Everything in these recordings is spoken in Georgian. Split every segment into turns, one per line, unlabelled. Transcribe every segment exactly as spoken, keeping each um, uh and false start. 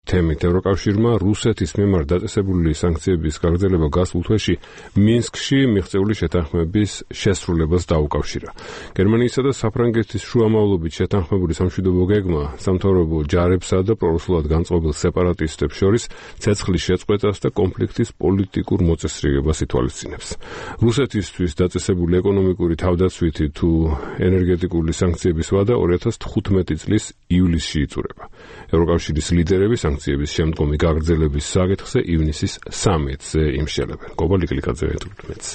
თემით ევროკავშირმა რუსეთის მიმართ დაწესებული სანქციების გაგრძელება გასულ თვეში მინსკში მიღწეული შეთანხმების შესრულებას დაუკავშირა. გერმანიისა და საფრანგეთის შუამავლობით შეთანხმებული სამშვიდობო გეგმა სამთავრობო ჯარებსა და პრორუსულად განწყობილ სეპარატისტებს შორის ცეცხლის შეწყვეტას და კონფლიქტის პოლიტიკურ მოწესრიგებას ითვალისწინებს. რუსეთისთვის დაწესებული ეკონომიკური თავდაცვითი თუ ენერგეტიკული სანქციების ვადა ორი ათას თხუთმეტი წლის ივლისში იწურება. ევროკავშირის ლიდერები სანქციების შემდგომი გაგრძელების საკითხზე ივნისის სამედზე იმშელებენ. გოგოლი კლიკაძე ეთურთმეტს.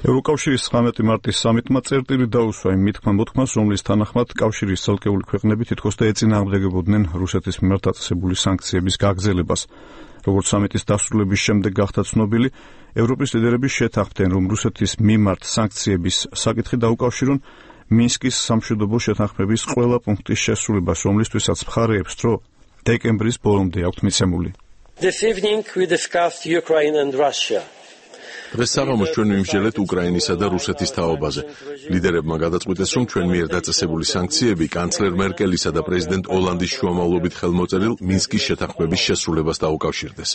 ევროკავშირის ცხრამეტი მარტის სამიტმა წერტილი დაუსვა იმ მითქმა-მოთქმას, რომლის თანახმად კავშირის ცალკეული ქვეყნები თითქოს და ეწინააღმდეგებოდნენ რუსეთის მიმართ დაწესებული სანქციების გაგრძელებას. როგორც სამიტის დასრულების შემდეგ გახდა ცნობილი, ევროპის ლიდერები შეთანხმდნენ, რომ რუსეთის მიმართ სანქციების საკითხი დაუკავშირონ მინსკის სამშვიდობო შეთანხმების ყველა პუნქტის შესრულებას, რომლისთვისაც მხარეებს დრო დეკემბრის ბოლომდე აქვთ მიცემული.
This evening we discussed Ukraine and Russia.
დღეს საღამოს ჩვენ ვიმსჯელეთ უკრაინისა და რუსეთის თაობაზე. ლიდერებმა გადაწყვიტეს, რომ ჩვენ მიერ დაწესებული სანქციები კანცლერ მერკელისა და პრეზიდენტ ოლანდის შუამავლობით ხელმოწერილ მინსკის შეთანხმების შესრულებას დაუკავშირდეს.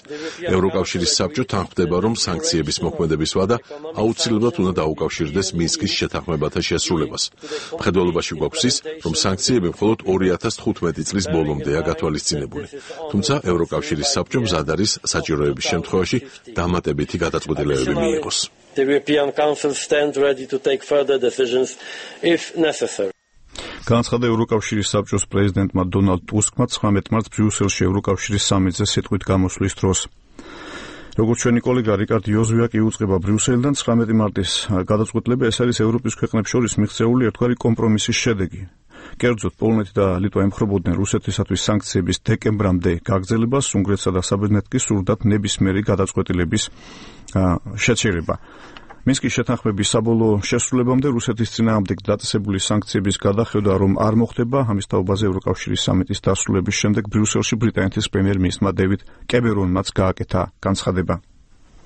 ევროკავშირის საბჭო თანხმდება, რომ სანქციების მოქმედების ვადა აუცილებლად უნდა დაუკავშირდეს მინსკის შეთანხმებათა შესრულებას. მხედველობაში გვაქვს ის, რომ სანქციები მხოლოდ ორი ათას თხუთმეტი წლის ბოლომდეა გათვალისწინებული. თუმცა ევროკავშირის საბჭომ მზად არის საჭიროების შემთხვევაში დამატებითი გადაწყვეტილებები მიიღოს.
The European Council stands ready to take further decisions if necessary.
განაცხადა ევროკავშირის საბჭოს პრეზიდენტმა დონალდ ტუსკმა ცხრამეტ მარტს ბრიუსელში ევროკავშირის სამიტზე სიტყვით გამოსვლის დროს. როგორც ჩვენი კოლეგა რიკარდ იოზვიაკი უწყება ბრიუსელიდან, ცხრამეტი მარტის გადაწყვეტილება ეს არის ევროპის ქვეყნებს შორის მიღწეული ერთგვარი კომპრომისის შედეგი. კერძოდ, პოლონეთი და ლიტვა ემხრობოდნენ რუსეთისათვის სანქციების დეკემბრამდე გაგრძელებას, უნგრეთსა და საბერძნეთს კი სურდათ ნებისმიერი გადაწყვეტილების შეჩერება. მინსკის შეთანხმების საბოლოო შესრულებამდე რუსეთის წინააღმდეგ დაწესებული სანქციების გადახედვა რომ არ მოხდება, ამის თაობაზე ევროკავშირის სამიტის დასრულების შემდეგ ბრიუსელში ბრიტანეთის პრემიერ-მინისტრმა დევიდ კემერონმაც გააკეთა განცხადება.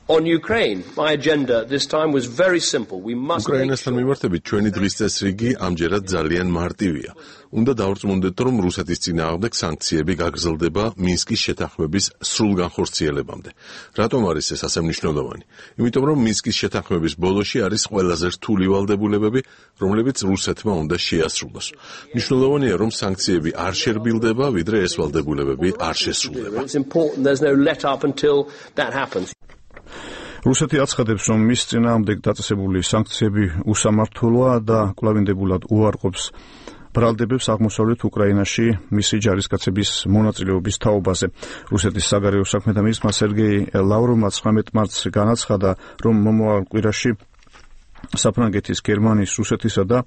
On Ukraine, my agenda this time was very simple. We must
უკრაინასთან მიმართებით ჩვენი დღის წესრიგი ამჯერად ძალიან მარტივია. უნდა დავრწმუნდეთ, რომ რუსეთის წინააღმდეგ სანქციები გაგრძელდება მინსკის შეთანხმების სრულ განხორციელებამდე. რატომ არის ეს ასე მნიშვნელოვანი? იმიტომ რომ მინსკის შეთანხმების ბოლოში არის ყველაზე რთული ვალდებულებები, რომლებიც რუსეთმა უნდა შეასრულოს. მნიშვნელოვანია, რომ სანქციები არ შერბილდება, ვიდრე ეს ვალდებულებები არ შესრულდება.
It's important there's no let up until that happens.
რუსეთი აცხადებს, რომ მის წინააღმდეგ დაწესებული სანქციები უსამართლოა და კვლავინდებულად უარყოფს ბრალდებებს აღმოსავლეთ უკრაინაში მისი ჯარისკაცების მონაწილეობის თაობაზე. რუსეთის საგარეო საქმეთა მინისტრმა სერგეი ლავროვმა ცხრამეტ მარტს განაცხადა, რომ მომავალ კვირაში საფრანგეთის, გერმანიის, რუსეთისა და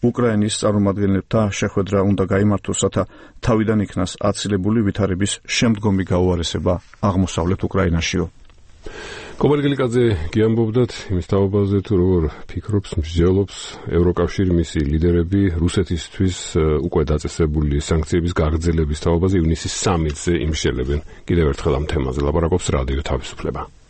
უკრაინის წარმომადგენლებთა შეხვედრა უნდა გაიმართოს, რათა თავიდან იქნას აცილებული ვითარების შემდგომი გაუარესება აღმოსავლეთ უკრაინაშიო.
გოგოლი კლიკაძე გიამბობდათ იმის თაობაზე, თუ როგორ ფიქრობს, მსჯელობს ევროკავშირი მისი ლიდერები რუსეთისთვის უკვე დაწესებული სანქციების გაგრძელების თაობაზე ივნისის სამედზე იმშელებენ. კიდევ ერთხელ ამ თემაზე ლაპარაკობს რადიო თავისუფლება.